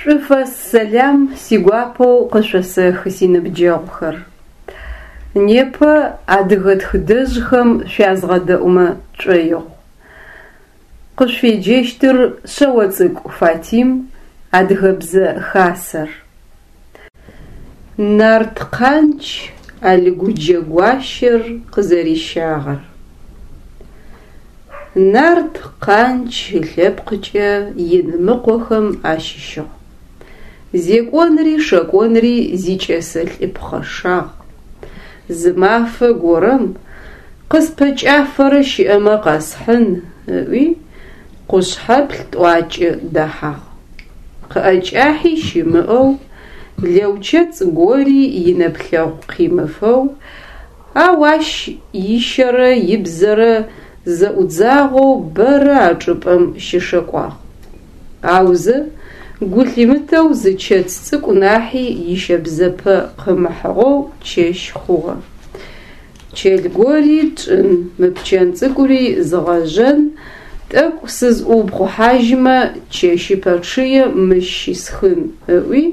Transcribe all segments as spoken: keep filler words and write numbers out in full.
Шӏуфэс сэлам сигуапэу къышъосэхы синыбджэгъухэр. Непэ адыгэ тхыдэжъхэм шъуязгъэдэӏумэ тшӏоигъу. Къышъуфеджэщтыр Шъэоцӏыкӏу Фатим, Адыгэбзэ Хасэр. Нарт Къандж Алгуджэ гуащэр къызэрищагъэр. Нарт Къандж ылъэпкъыкӏэ Инымыкъохэм ащыщыгъ. Зекӏонри шэкӏонри зикӏэсэ лӏы пхъэшагъ. Зы мафэ горэм къыспэкӏафэрэ щыӏэмэ къэсхьын ыӏуи, къушъхьэплъ тӏуакӏэ дэхьагъ. Къыӏэкӏахьи щымыӏэу, лэучэцӏ гори инэплъэгъу къимыфэу, ау ащ ищэрэ ибзэрэ зэӏудзагъэу бэрэ а чӏыпӏэм щышэкӏуагъ. Аузэ гу лъимытэу зы чэц цӏыкӏу нахьи ищэбзэпэ къымыхьыгъэу чэщ хъугъэ. Чэл гори тшӏын, мы пчэн цӏыкӏури згъэжъэн, тӏэкӏу сызӏуупхъухьажьымэ, чэщыпэ чъые мыщ щисхын, ыӏуи,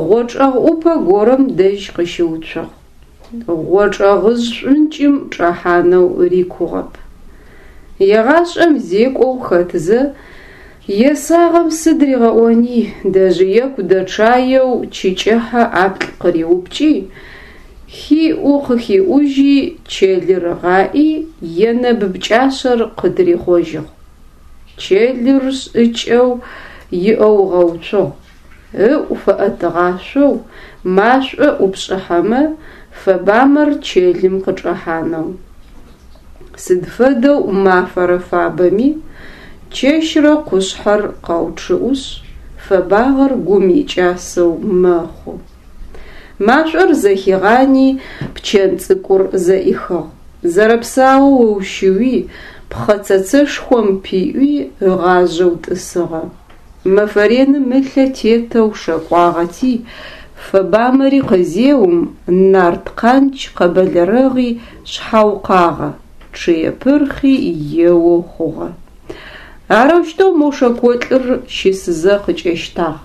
гъочӏэгъ ӏупэ горэм дэжь къыщыуцугъ. Гъочӏэгъыжъ шӏункӏым чӏэхьанэу рикугъэп. Егъашӏэм зекӏоу хэтзэ, есагъэм сыд ригъэӏони, дэжъыеку дэчъаеу чы кӏыхьэ ӏаплӏ къыриупкӏи, хиӏу-къыхиӏужьи, чэлыр ыгъаӏи, енэб пкӏашъэр къытырихъожьыгъ. Чэлыр шӏыкӏэу иӏэу ыгъэуцугъ, ыӏу фэӏэтыгъашъоу, машӏо ӏупшӏыхьэмэ, фэбамэр чэлым къычӏэхьанэу. Сыд фэдэу мафэрэ фабэми, чэщрэ къушъхьэр къэучъыӏушъ, фэбагъэр гум икӏасэу мэхъу. Машӏор зэхигъани, пчэн цӏыкӏур зэӏихыгъ. Зэрэпсаоу ыущыуи, пхъэ цэцэшхом пиӏуи ыгъажъэу тӏысыгъэ. Мэфэ реным ылъэ тетэу шэкӏуагъэти, фэбамэри къызеум, нарт Къандж къэбэлэрэгъи шъхьаукъагъэ, чъые пырхъи еоу хъугъэ. Арэущтэу мо шэкӏолӏыр щысызэ къыкӏэщтагъ.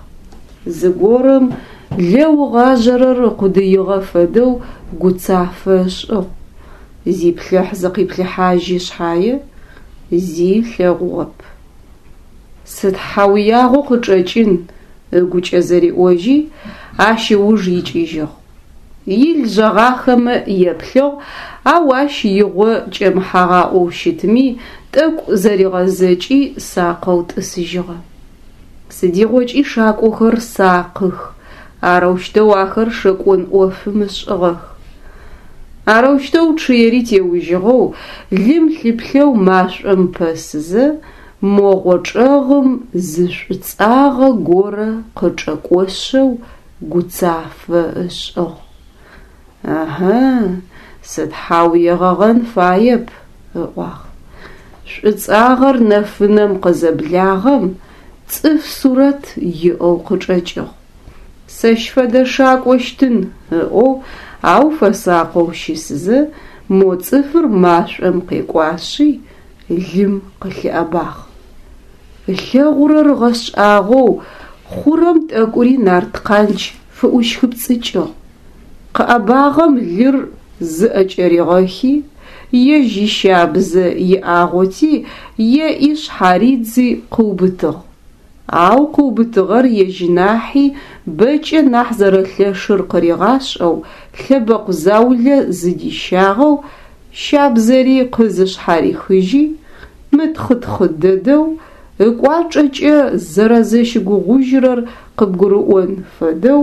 Зыгорэм лэу ыгъажъэрэр ыкъудыигъэ фэдэу гуцафэ ышӏыгъ. Зиплъыхь-зыкъиплъыхьажьи шъхьае, зи ылъэгъугъэп. Сыд хьэуягъэу къычӏэкӏын, ыгукӏэ зэриӏожьи, ащ ыуж икӏыжьыгъ. Ил жъэгъахэмэ еплъыгъ, ау ащ игъо кӏэмыхьагъаӏоу щытми, тӏэкӏу зэригъэзэкӏи сакъэу тӏысыжьыгъэ. Сыдигъокӏи шакӏохэр сакъых, арэущтэу ахэр шэкӏон ӏофым ышӏыгъэх. Арэущтэу чъыери теужьыгъэу, лым лъыплъэу машӏом пэсызэ, мо гъочӏэгъым зы шӏуцӏагъэ горэ къычӏэкӏошъэу гуцафэ ышӏыгъ. Ыхьы, сыд хьау егъэгъэн фаеп, ыӏуагъ. Шӏуцӏагъэр нэфынэм къызэблагъэм, цӏыф сурэт иӏэу къычӏэкӏыгъ. Сэщ фэдэ шакӏощтын, ыӏоу, ау фэсакъэу щысызэ, мо цӏыфыр машӏом къекӏуашъи, лым къылъыӏэбагъ. Ылъэгъурэр ыгъэшӏагъоу, хъурэм тӏэкӏури нарт Къандж фыӏущхыпцӏыкӏыгъ. Къыӏэбагъэм лыр зыӏэкӏэригъэхи, ежь ищабзэ иӏагъоти, еӏи шъхьаридзи къыубытыгъ. Ау къыубытыгъэр ежь нахьи бэкӏэ нахь зэрэлъэшыр къыригъашӏэу, лъэбэкъу заулэ зыдищагъэу, щабзэри къызышъхьарихыжьи, мытхъытхъы дэдэу, ыкӏуачӏэкӏэ зэрэзэщыгугъужьырэр къыбгурыӏон фэдэу,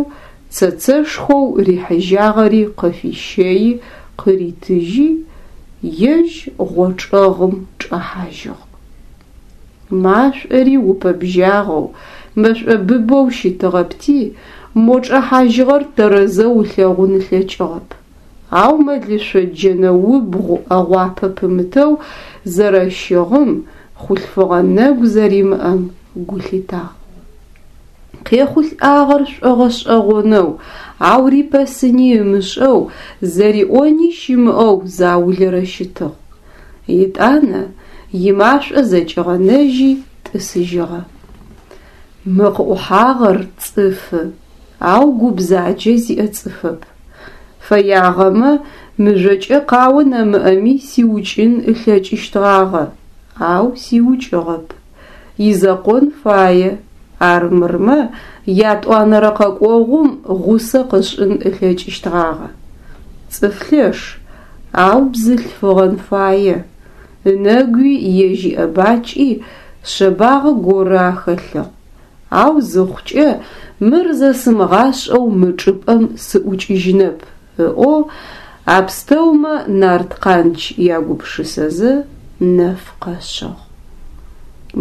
цэцэшхоу рихьыжьагъэри къыфищэи къыритыжьи, ежь гъочӏэгъым чӏэхьажьыгъ. Машӏори упэбжьагъэу, мэшӏо быбэу щытыгъэпти, мо чӏэхьажьыгъэр тэрэзэу ылъэгъун ылъэкӏыгъэп. Ау мэлышъо джэнэ убгъу ӏэгъуапэ пымытэу зэрэщыгъым, хъулъфыгъэ нэгу зэримыӏэм гу лъитагъ. Къехъулӏагъэр шӏогъэшӏэгъонэу, ау рипэсыни ымышӏэу, зэриӏони щымыӏэу заулэрэ щытыгъ. Етӏанэ имашӏо зэкӏигъэнэжьи тӏысыжьыгъэ. Мы къыӏухьагъэр цӏыфы, ау гу бзаджэ зиӏэ цӏыфэп. Фэягъэмэ, мыжъокӏэ къао нэмыӏэми сиукӏын ылъэкӏыщтгъагъэ, ау сиукӏыгъэп. Изэкъон фае, армырмэ ятӏуанэрэ къэкӏогъум гъусэ къышӏын ылъэкӏыщтгъагъэ. Цӏыф лъэш, ау бзылъфыгъэн фае, ынэгуи ежь иӏэбакӏи шъэбагъэ горэ ахэлъыгъ. Ау зыхъукӏэ мыр зэсымыгъашӏэу мы чӏыпӏэм сыӏукӏыжьынэп, ыӏоу а пстэумэ нарт Къандж ягупшысэзэ, нэф къэшъыгъ.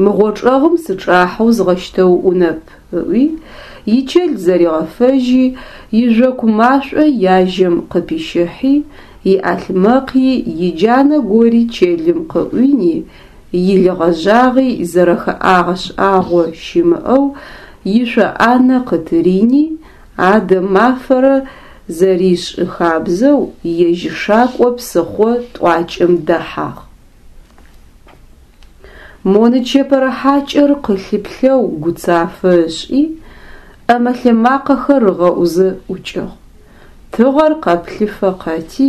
Мы гъочӏэгъым сычӏахьэу згъэщтэуӏунэп, ыӏуи, ичэл зэригъэфэжьи, ижъоку машӏо яжьэм къыпищыхьи, иӏалъмэкъи иджанэ гори чэлым къыӏуини, ил гъэжъагъи зэрэхэӏагъэ шӏагъо щымыӏэу ишъо ӏанэ къытырини, адэ мафэрэ зэришӏы хабзэу ежь шакӏо псыхъо тӏуакӏэм дэхьагъ. Мо нычэпэрэ хьакӏэр къылъыплъэу гуцафэ ышӏи, ӏэмэ-лъэмакъэхэр ыгъэӏузэ ӏукӏыгъ. Тыгъэр къэплъыфэ къэти,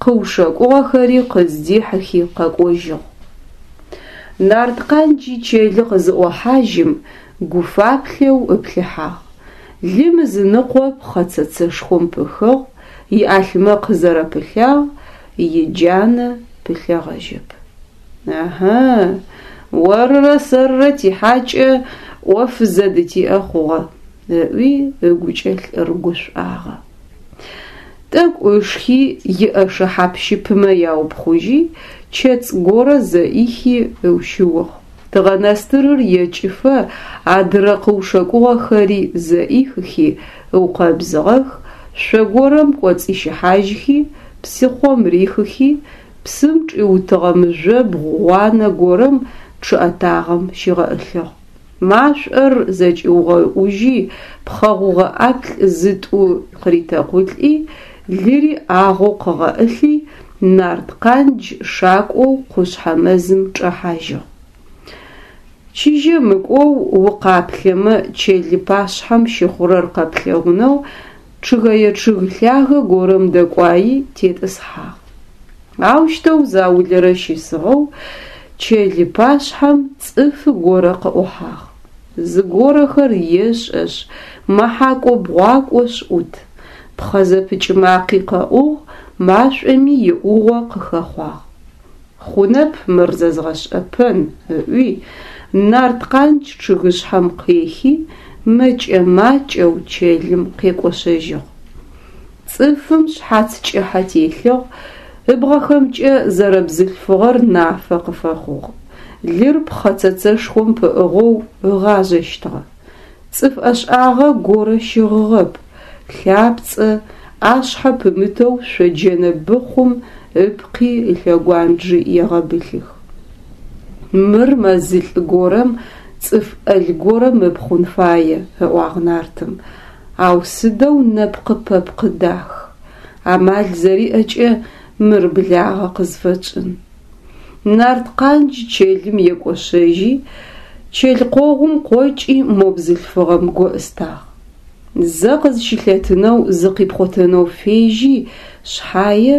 къыушэкӏугъэхэри къыздихьыхи къэкӏожьыгъ. Нарт Къандж ичэлы къызыӏохьажьым, гуфаплъэу ыплъыхьагъ. Лым ызыныкъо пхъэцэцэшхом пыхыгъ, иӏалъмэкъ зэрэпылъагъ, иджанэ пылъэгъэжьэп. Ыхьы, орырэ сэрырэ тихьакӏэ ӏоф зэдытиӏэ хъугъэ, ыӏуи ыгукӏэ лӏыр гушӏуагъэ. Тӏэкӏу ышхи, иӏэшэ хьап-щыпымэ яупхъужьи, чэцӏ горэ зэӏихи ыущыугъ. Тыгъэнэстырыр екӏыфэ адырэ къыушэкӏугъэхэри зэӏихыхи ыукъэбзыгъэх, шъо горэм кӏоцӏищыхьажьхи, псыхъом рихыхи, псым чӏиутыгъэ мыжъобгъу гъуанэ горэм чъыӏэтагъэм щигъэӏылъыгъ. Машӏор зэкӏиугъэӏужьи, пхъэ гъугъэ ӏаплӏ зытӏу къыритэкъулӏи, лыри ӏагъоу къыгъэӏылъи, нарт Къандж шакӏоу къушъхьэ мэзым чӏэхьажьыгъ. Чыжьэ мыкӏоу укъаплъэмэ чэлы пашъхьэм щыхъурэр къэплъэгъунэу чъыгэе чъыг лъагэ горэм дэкӏуаи тетӏысхьагъ. Аущтэу заулэрэ щысыгъэу чэлы пашъхьэм цӏыфы горэ къыӏухьагъ. Зыгорэхэр ешӏэшъ, мэхьакӏо-бгъуакӏошъ ӏут. Пхъэ зэпыкӏ макъи къэӏугъ, машӏоми иӏугъо къыхэхъуагъ. Хъунэп мыр зэзгъэшӏэпэн, ыӏуи, нарт Къандж чъыгышъхьэм къехи, мэкӏэ-макӏэу чэлым къекӏошъэжьыгъ. Цӏыфым шъхьац кӏыхьэ телъыгъ, ыбгъэхэмкӏэ зэрэбзылъфыгъэр нафэ къыфэхъугъ. Лыр пхъэцэцэшхом пыӏыгъэу ыгъажъэщтыгъэ. Цӏыф ӏэшӏагъэ горэ щыгъыгъэп, лъапцӏэ, ӏашъхьэ пымытэу шъоджэнэ быхъум ыпкъи ылъэгуанджи егъэбылъых. Мыр мэзылӏ горэм цӏыф ӏэл горэм ыпхъун фае, ыӏуагъ нартым, ау сыдэу нэпкъы-пэпкъы дах. Амал зэриӏэкӏэ мыр благъэ къызфэтшӏын. Нарт Къандж чэлым екӏошъэжьи, чэл къогъум къокӏи мо бзылъфыгъэм гоӏыстагъ. Зэ къызщылъэтынэу зыкъипхъотэнэу фежьи шъхьае,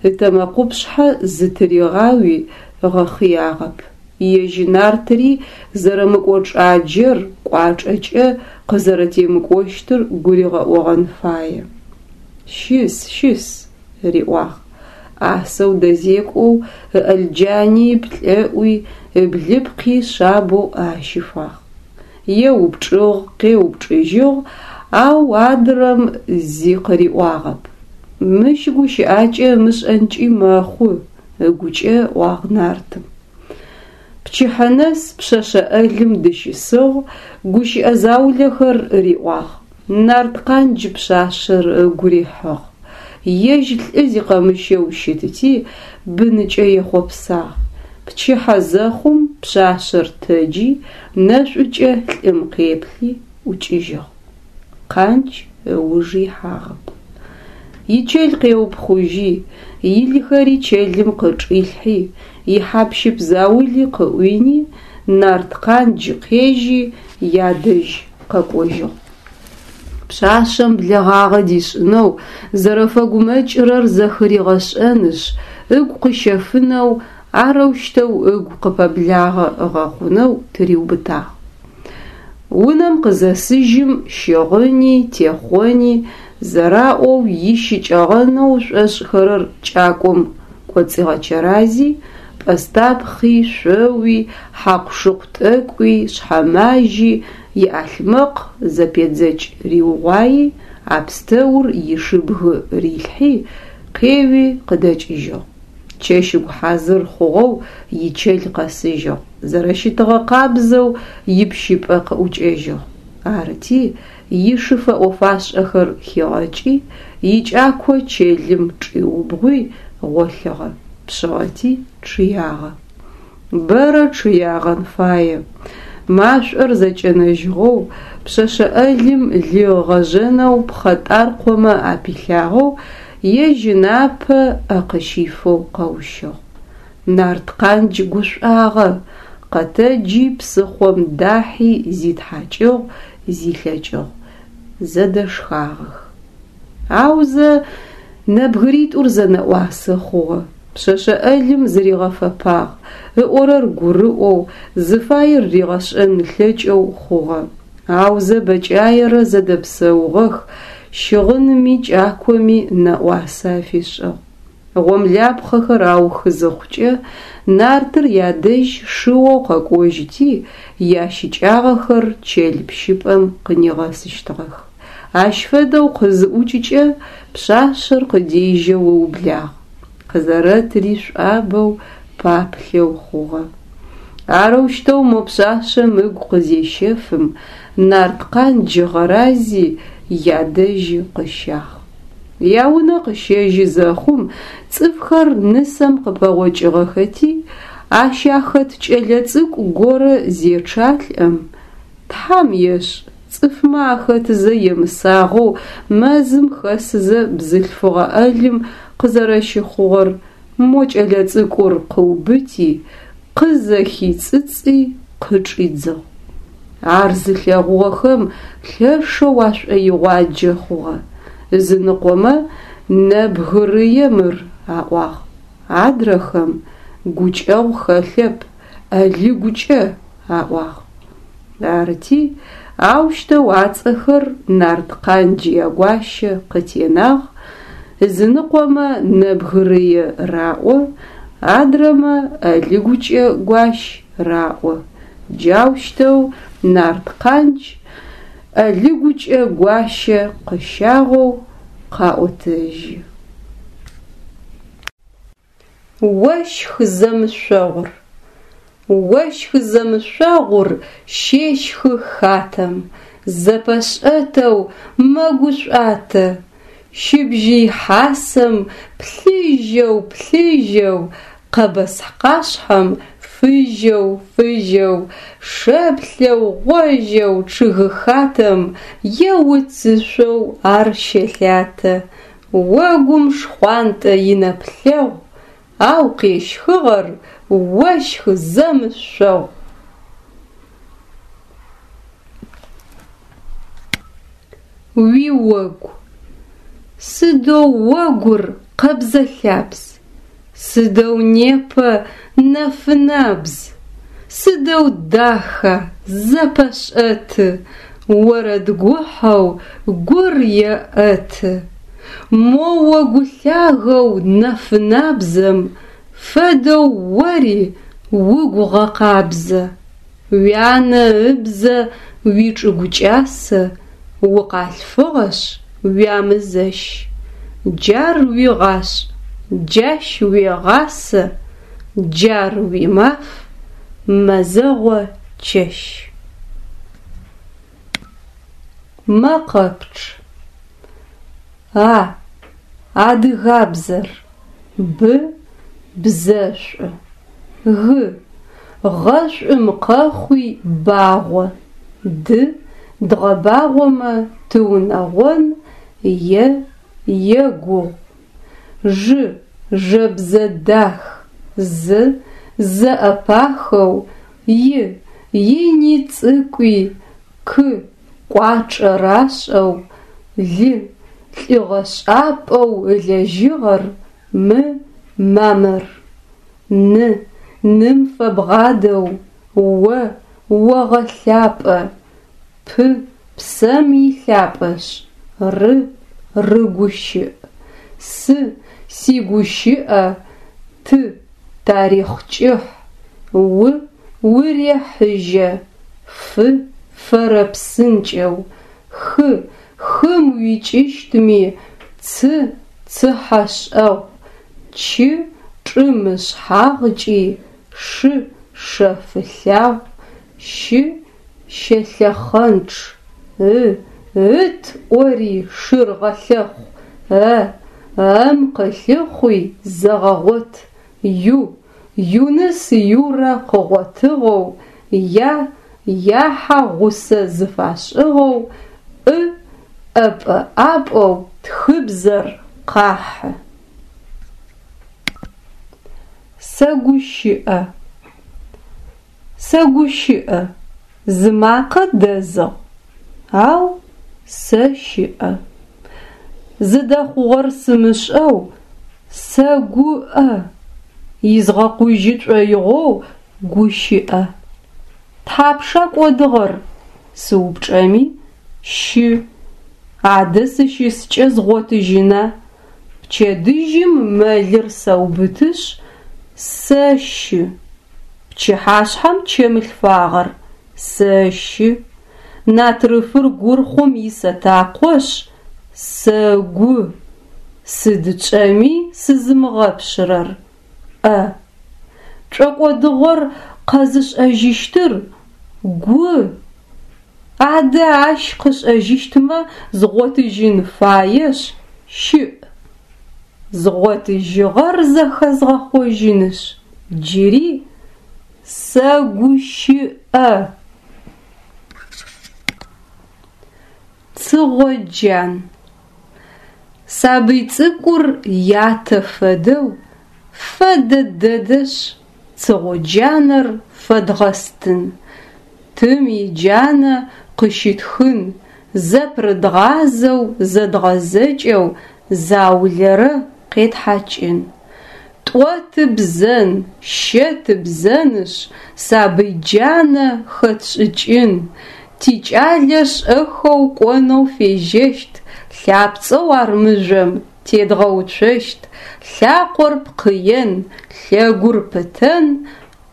ытэмэкъупшъхьэ зытыригъауи ыгъэхъыягъэп. Ежь нартыри зэрэмыкӏочӏаджэр кӏуачӏэкӏэ къызэрэтемыкӏощтыр гуригъэӏогъэн фае. Щыс, щыс, риӏуагъ. ӏасэу дэзекӏоу ыӏэлджани ыплӏэӏуи ыблыпкъи шъабэу ӏэ ащифагъ. Еупчӏыгъ, къеупчӏыжьыгъ, ау адрэм зи къыриӏуагъэп. Мыщ гущыӏакӏэ ымышӏэнкӏи мэхъу, ыгукӏэ ыӏуагъ нартым. Пчыхьэ нэс пшъэшъэ ӏэлым дыщысыгъ, гущыӏэ заулэхэр риӏуагъ. Нарт Къандж пшъашъэр ыгу рихьыгъ. Ежь лӏы зикъэмыщэу щытыти, быныкӏэ ехъопсагъ. Пчыхьэ зэхъум пшъашъэр тэджи, нэшӏукӏэ лӏым къеплъи, ӏукӏыжьыгъ. Къандж ыуж ихьагъэп. Ичэл къеупхъужьи, илхэри чэлым къычӏилъхьи, ихьап-щып заули къыӏуини, Нарткъандж къежьи ядэжь къэкӏожьыгъ. Пшъашъэм блэгъагъэ дишӏынэу, зэрэфэгумэкӏырэр зэхыригъэшӏэнышъ, ыгу къыщэфынэу, арэущтэу ыгу къыпэблагъэ ыгъэхъунэу тыриубытагъ. Унэм къызэсыжьым щыгъыни, техъони, зэраӏоу ищыкӏэгъэнэу ышӏошӏхэрэр кӏакӏом кӏоцӏигъэчэрази, пӏэстапхъи, шъоуи, хьакъу-шыкъу тӏэкӏуи, шъхьэмажьи иӏалъмэкъ зэпедзэкӏ риугъуаи, а пстэур ишыбгы рилъхьи, къеуи къыдэкӏыжьыгъ. Чэщыгу хьазыр хъугъэу ичэл къэсыжьыгъ, зэрэщытыгъэ къабзэу ипщыпӏэ къыӏукӏэжьыгъ. Арыти, ишы фэӏо-фашӏэхэр хигъэкӏи, икӏако чэлым чӏиубгъуи гъолъыгъэ, пшъыгъэти чъыягъэ. Бэрэ чъыягъэн фае. Машӏор зэкӏэнэжьыгъэу, пшъэшъэ ӏэлым лы ыгъэжъэнэу пхъэтӏаркъомэ апилъагъэу, ежь ынапэ ӏэ къыщифэу къэущыгъ. Нарткъандж гушӏуагъэ, къэтэджи псыхъом дахьи зитхьакӏыгъ, зилъэкӏыгъ. Зэдэшхагъэх. Аузэ нэбгыритӏур зэнэӏуасэ хъугъэ. Пшъэшъэ ӏэлым зыригъэфэпагъ, ыӏорэр гурыӏоу, зыфаер ригъэшӏэн ылъэкӏэу хъугъэ. Аузэ бэкӏаерэ зэдэпсэугъэх, щыгъынми кӏакоми нэӏуасэ афишӏыгъ. Гъомлапхъэхэр аухы зыхъукӏэ, нартыр ядэжь шыоу къэкӏожьыти, ящыкӏагъэхэр чэл пщыпӏэм къынигъэсыщтыгъэх. Ащ фэдэу къызыӏукӏыкӏэ пшъашъэр къыдежьэу ыублагъ. Къызэрэтри шӏуабэу, паплъэу хъугъэ. Арэущтэу мо пшъашъэм ыгу къызещэфым, Нарткъандж ыгъэрази ядэжьы къыщагъ. Яунэ къыщэжьы зэхъум цӏыфхэр нысэм къыпэгъокӏыгъэхэти, ащ ахэт кӏэлэцӏыкӏу горэ зечъалӏэм, Тхьам ешӏ, цӏыфмэ ахэтызэ емысагъэу мэзым хэсызэ бзылъфыгъэ ӏэлым къызэрэщыхъугъэр мо кӏэлэцӏыкӏур къыубыти, къызэхицӏыцӏи къычӏидзыгъ. Ар зылъэгъугъэхэм лъэшэу ашӏоигъуаджэ хъугъэ. Ызыныкъомэ «Нэбгырые мыр» аӏуагъ, адрэхэм «Гукӏэгъу хэлъэп, ӏэлыгукӏэ» аӏуагъ. Арыти, аущтэу ацӏэхэр Нарткъандж ягуащэ къытенагъ, ызыныкъомэ «Нэбгырые» раӏо, адрэмэ «ӏэлыгукӏэ гуащ» раӏо. Джаущтэу Нарткъандж ӏэлыгукӏэ гуащэ къыщагъэу къаӏотэжьы. Ощх зэмышъогъур. Ощх зэмышъогъур щещхы хатэм, зэпэшӏэтэу мэгушӏуатэ. Щыбжьый хьасэм плъыжьэу, плъыжьэу, къэбэскъашъхьэм фыжьэу, фыжьэу, шэплъэу, гъожьэу чъыгхатэм е уцышъоу ар щэлъатэ. Огум шхъуантӏэ инэплъэгъу, ау къещхыгъэр ощх зэмышъогъу. Уиогу. Сыдэу огур къэбзэ-лъабз, сыдэу непэ нэфынабз, сыдэу даха, зэпэшӏэты, орэд гухьэу гур еӏэты. Мо огу лъагэу нэфынабзэм фэдэу ори угу гъэкъабзэ. Уянэ ыбзэ уичӏыгу кӏасэ, укъалъфыгъэшъ уямызэщ. Джар уигъашӏ, джащ уегъасэ, джар уимаф, мэзэгъо чэщ. Мэкъэпчъ. А. Адыгабзэр. Б. Бзэшӏу. Г. Гъэшӏум къэхъуи багъо. Д. Дгъэбагъомэ тыунэгъон е егугъу. Ж. Жэбзэ дах. З. Зэӏэпахэу И, ини цӏыкӏуи, К, кӏуачӏэ рашӏэу, Л, лӏыгъэшӏапӏэу ылэжьыгъэр М, мамыр. Н, ным фэбгъадэу, О, огъэлъапӏэ, П, псэм илъапӏэшъ, Р, рыгущыӏ. С, сигущыӏэ, Т, тарихъ кӏыхь, У, урехьыжьэ, Ф, фэрэпсынкӏэу, Х, хым уикӏыщтми, Ц, цыхьэшӏэгъу, Ч, чӏым ышъхьагъкӏи, Ш, шэфылъагъу, Щ, щэлъэхъэнчъ, Ы, ыт ӏори шыр гъэлъэхъу, Э, эм къылъыхъуи зэгъэгъот, Ю, Юныс Юрэ къыгъотыгъэу, Я, яхьэ гъусэ зыфашӏыгъэу, Ӏ, ӏэпӏэ-ӏапӏэу тхыбзэр къахьы. Сэгущыӏэ. Сэгущыӏэ, зымакъэ дэзыгъ, ау сэщыӏэ. Зыдэхъугъэр сымышӏэу сэгуӏэ, изгъэкъужьы шӏоигъоу гущыӏэ. Тхьапша кӏодыгъэр? Сыупчӏэми щы. Адэ сыщыскӏэ згъотыжьына? Пчэдыжьым мэлыр сэубытышъ сэщы. Пчыхьашъхьэм чэм лъфагъэр сэщы. Натрыфыр гурхъум исэтакъошъ сэгу. Сыд тшӏэми сызымыгъэпшъырэр ӏэ. Тшӏокӏодыгъэр къэзышӏэжьыщтыр гу. Адэ ащ къышӏэжьыщтмэ згъотыжьын фаешъ щыӏ. Згъотыжьыгъэр зэхэзгъэхъожьынышъ джыри сэгущыӏэ. Цыгъо джан. Сабый цӏыкӏур ятэ фэдэу фэдэ дэдэшъ, цыгъо джанэр фэдгъэстын. Тым иджанэ къыщытхын, зэпырыдгъазэу зэдгъэзэкӏэу заулэрэ къетхьакӏын. Тӏо тыбзэн, щэ тыбзэнышъ, сабый джанэ хэтшӏыкӏын. Тикӏалэ шӏэхэу кӏонэу фежьэщт, лъапцӏэу ар мыжъом тедгъэуцощт, лъакъор пкъыен, лъэгур пытэн,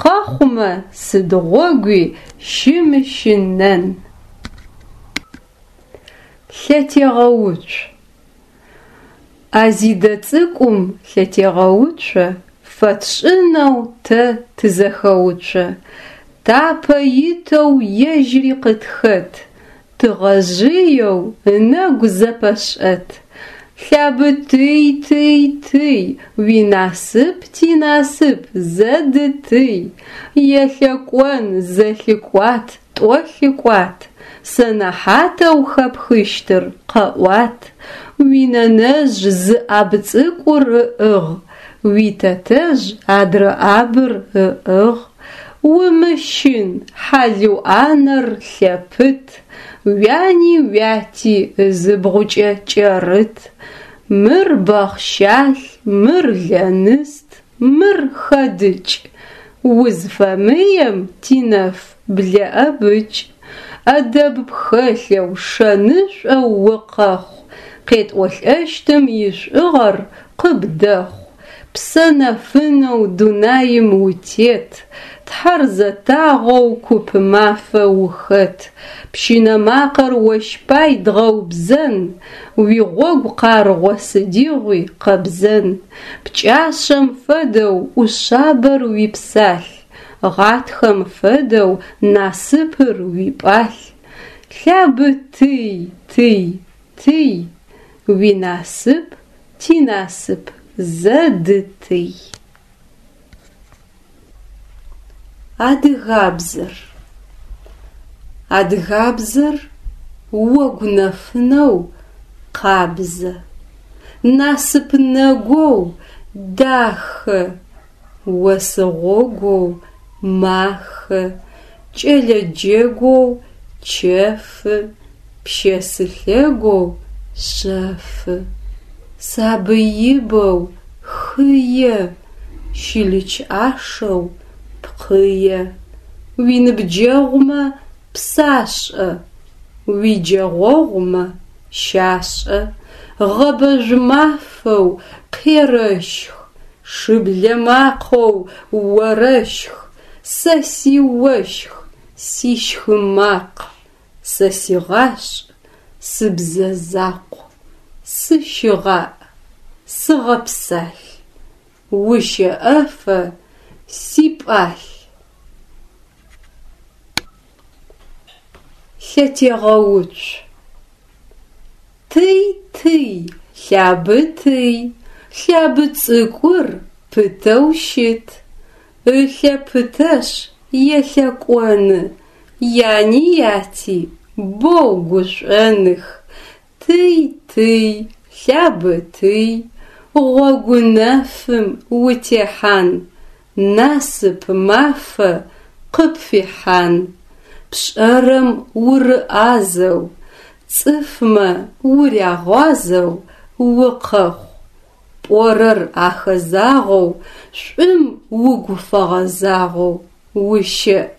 къэхъумэ сыд гъогуи щымыщынэн. Лъэтегъэуцу. Азидэ цӏыкӏум лъэтегъэуцо фэтшӏынэу тэ тызэхэуцо. Тапэ итэу ежьыри къытхэт, тыгъэжъыеу ынэгу зэпэшӏэт. Лъабытый, тый, тый, уинасып тинасып зэдытый. Елъэкӏон, зэлъыкӏуат, тӏо лъыкӏуат. Сэнэхьатэу хэпхыщтыр къэӏуат. Уинэнэжъ зы ӏаб цӏыкӏур ыӏыгъ, уитэтэжъ адрэ ӏабыр ыӏыгъ. Умыщын, хьалыу ӏанэр лъэпыт, уяни уяти ызыбгъукӏэ кӏэрыт. Мыр бэхъщалъ, мыр лэныст, мыр хэдыкӏ. Узфэмыем, тинэф, блэӏэбыкӏ. Ӏэдэб пхэлъэу шэнышӏоу укъэхъу, къетӏолӏэщтым ишӏугъэр къыбдэхъу. Псэ нэфынэу дунаим утет, Тхьэр зэтагъэу куп мафэ ухэт. Пщынэ макъэр ощ пай дгъэубзэн, уигъогу къаргъо сыдигъуи къэбзэн. Пкӏашъэм фэдэу ӏушъабэр уипсалъ, гъатхэм фэдэу насыпыр уипӏалъ. Лъабытый, тый, тый, уинасып тинасып зэдытый. Адыгабзэр. Адыгабзэр огу нэфынэу къабзэ, насып нэгоу дахэ, ос гъогоу махэ. Кӏэлэ джэгоу чэфы, Пщэсы лъэгоу шъэфы. Сабый ибэу хые, Щылыч ӏашэу пкъые. Уиныбджэгъумэ псашӏэ, Уиджэгъогъумэ щашӏэ. Гъэбэжъу мафэу къерэщх, Шыблэ макъэу орэщх, Сэ сиощх, сищхы макъ, Сэ сигъашӏ, сыбзэ закъу. Сыщыгъаӏ, сыгъэпсалъ, Ущэӏэфэ сипӏалъ. Лъэтегъэуцу. Тый, тый, лъабытый, лъабыцӏыкӏур пытэу щыт. Ылъэ пытэшъ елъэкӏоны, яни яти боу гушӏоных. Тый, тый, лъабытый, гъогу нэфым утехьан, насып мафэ къыпфихьан. Пшӏэрэм урыӏазэу, цӏыфмэ урягъуазэу укъэхъу. Пӏорэр ахэзагъэу, шӏум угу фэгъэзагъэу ущэӏ.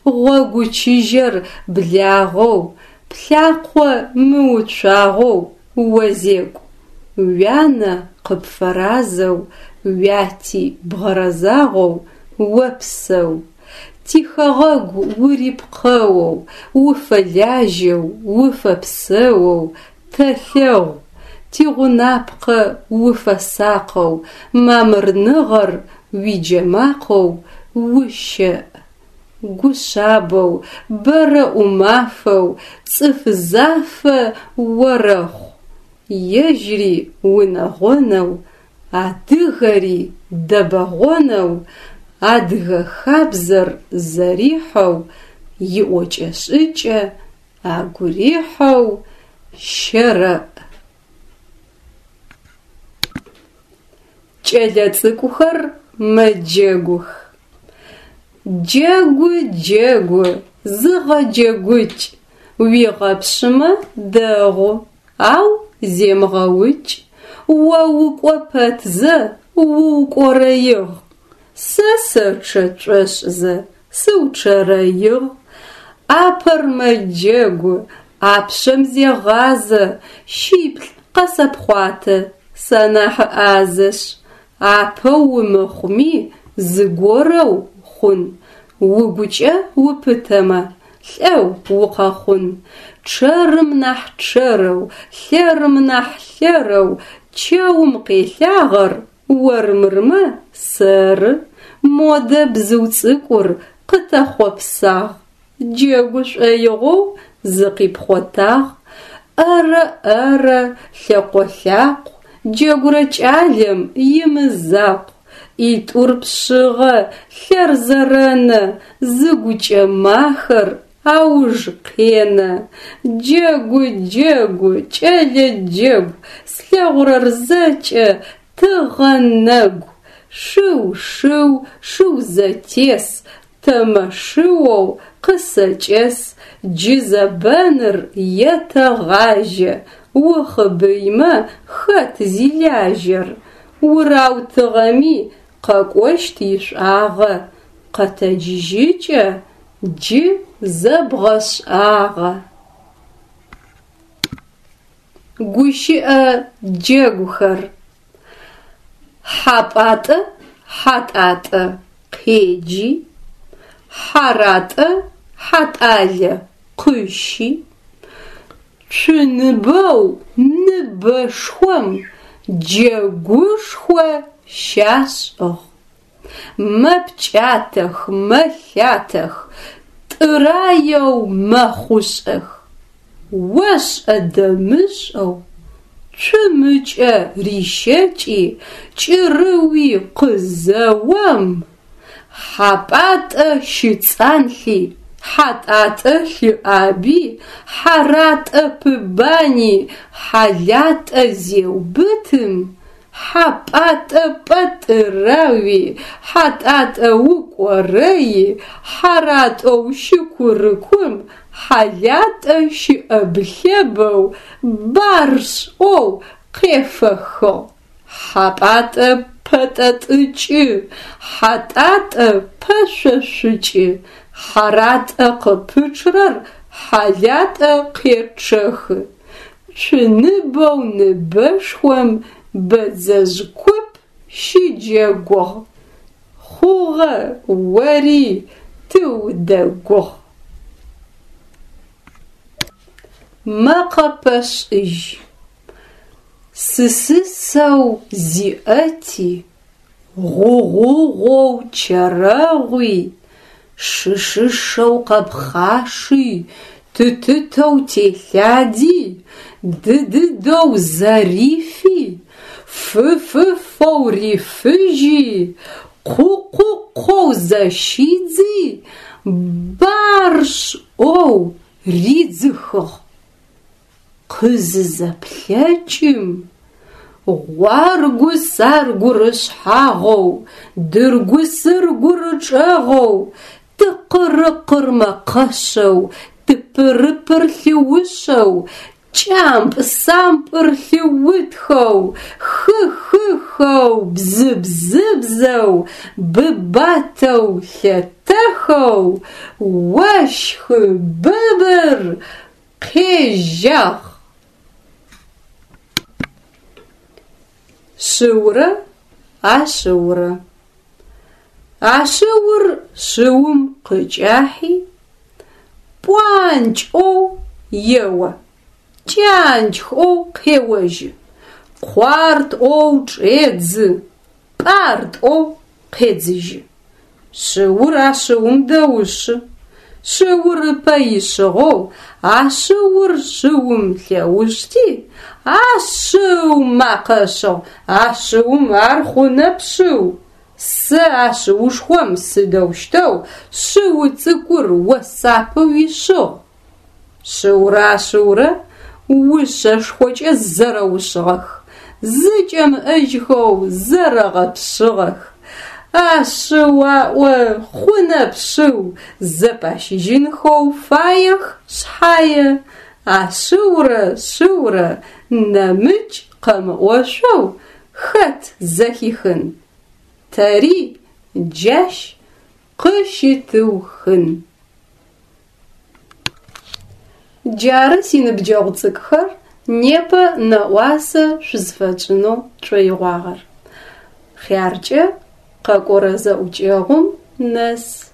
Гъогу чыжьэр благъэу, плъакъо мыуцуагъэу озекӏу. Уянэ къыпфэразэу, уяти бгъэрэзагъэу опсэу. Тихэгъэгу урипкъэоу, уфэлажьэу, уфэпсэоу тэлъэгъу. Тигъунапкъэ уфэсакъэу, мамырныгъэр уиджэмакъэу ущэӏ. Гушъабэу, бэрэ ӏумафэу, цӏыф зафэ орэхъу. Ежьри унэгъонэу, адыгэри дэбэгъонэу, адыгэ хабзэр зэрихьэу, иӏокӏэ-шӏыкӏэ агу рихьэу щэрэӏ. Кӏэлэцӏыкӏухэр мэджэгух. Джэгу, джэгу, зыгъэджэгукӏ, уигъэпшъымэ дэгъу, ау земыгъэукӏ. О укӏо пэтзэ уукӏорэигъ, сэ сэчъэ тшӏошӏызэ сыучъэрэигъ. Ӏапэр мэджэгу, ӏапшъэм зегъазэ, шиплӏ къэсэпхъуатэ, санахь ӏазэшъ. Апэу умыхъуми зыгорэу хъун, угукӏэ упытэмэ, лӏэу укъэхъун. Чъэрым нахь чъэрэу, лъэрым нахь лъэрэу чэум къелъагъэр ормырмэ сэры. Модэ бзыу цӏыкӏур къытэхъопсагъ, джэгу шӏоигъоу зыкъипхъотагъ. ӏэрэ-ӏэрэ, лъэкъо-лъакъу, джэгурэ кӏалэм имызакъу. ӏитӏур пшъыгъэ, лъэр зэрэнэ, зыгукӏэ махэр ауж къенэ. Джэгу, джэгу, кӏэлэ джэгу, слъэгъурэр зэкӏэ тыгъэ нэгу. Шыу, шыу, шыу зэтес, тэмэ шыоу къысэкӏэс. Джы зэбэныр етэгъажьэ, ухъыбыймэ хэт зилажьэр? Ураутыгъэми къэкӏощт ишӏуагъэ, къэтэджыжьыкӏэ джы зэбгъэшӏагъэ. Гущыӏэ джэгухэр. Хьапӏатӏэ Хьатӏатӏэ къеджи, Хьаратӏэ Хьатӏалэ къыщи, цуныбэу ныбэшхом джэгушхо щашӏыгъ. Мэпкӏатэх, мэлъатэх, тӏыраеу мэхъушӏэх. Ошӏэ-дэмышӏэу цум ыкӏэ рищэкӏи кӏырыуи къызэом, Хьапӏатӏэ щыцӏанлъи, Хьатӏатӏэ лъыӏаби, Хьаратӏэ пыбани, Хьалатӏэ зеубытым, Хьапӏатӏэ пӏэтӏырэуи, Хьатӏатӏэ укӏорэи, Хьаратӏэу щыкурыкум, Хьалатӏэ щыӏэб-лъэбэу барщ ӏоу къефэхыгъ. Хьапӏатӏэ пэтӏэтӏыкӏы, Хьатӏатӏэ пэшъошъукӏы, Хьаратӏэ къыпычърэр Хьалатӏэ къечъэхы. Цуныбэу ныбэшхом бэдзэжъ куп щыджэгугъ. Хъугъэ, ори тыудэгугъ. Мэкъэпэшӏыжь. Сысысэу зиӏэти, гъугъугъоу чэрэгъуи, шышышэу къэпхъаши, тытытэу телъади, дыдыдэу зэрифи, фыфыфэу рифыжьи, къукъукъоу зэщидзи, барщ ӏоу ридзыхыгъ. Къызызэплъэкӏым, гъуаргу-саргур ышъхьагъэу, дыргу-сыргур ычӏэгъэу, тыкъырыкъыр мэкъэшъэу, тыпырыпыр лъыушъэу, кӏампӏ-сампӏыр лъыутхэу, хы-хыхэу, бзы-бзыбзэу, быбатэу лъэтэхэу, ощхы быбыр къежьагъ. Шыурэ ашъыурэ. Ашъыур шыум къыкӏахьи, пӏуанкӏ ӏоу ео, кӏанкӏ ӏоу къеожьы, къуарт ӏоу чӏедзы, пӏарт ӏоу къедзыжьы. Шыур ашъыум дэушъы. Шыур ыпэ ишъыгъэу ашъыур шыум лъэушъти, ашъыу макъэ ышӏыгъ: «Ашъыум ар хъунэп шъыу! Сэ ашъыушхом сыдэущтэу шъыу цӏыкӏур осапэу ишъыгъ?» Шыурэ ашъыурэ ушъэшхокӏэ зэрэушъыгъэх, зыкӏэмыӏэжьхэу зэрэгъэпшъыгъэх. Ашъыу аӏо, хъунэп шъыу, зэпащыжьынхэу фаех шъхьае, ашъыурэ шъыурэ нэмыкӏ къэмыӏошъоу хэт зэхихын. Тэри джащ къыщытыухын. Джары синыбджэгъу цӏыкӏухэр непэ нэӏуасэ шъузфэтшӏынэу тшӏоигъуагъэр. Хъяркӏэ къэкӏорэ зэӏукӏэгъум нэс.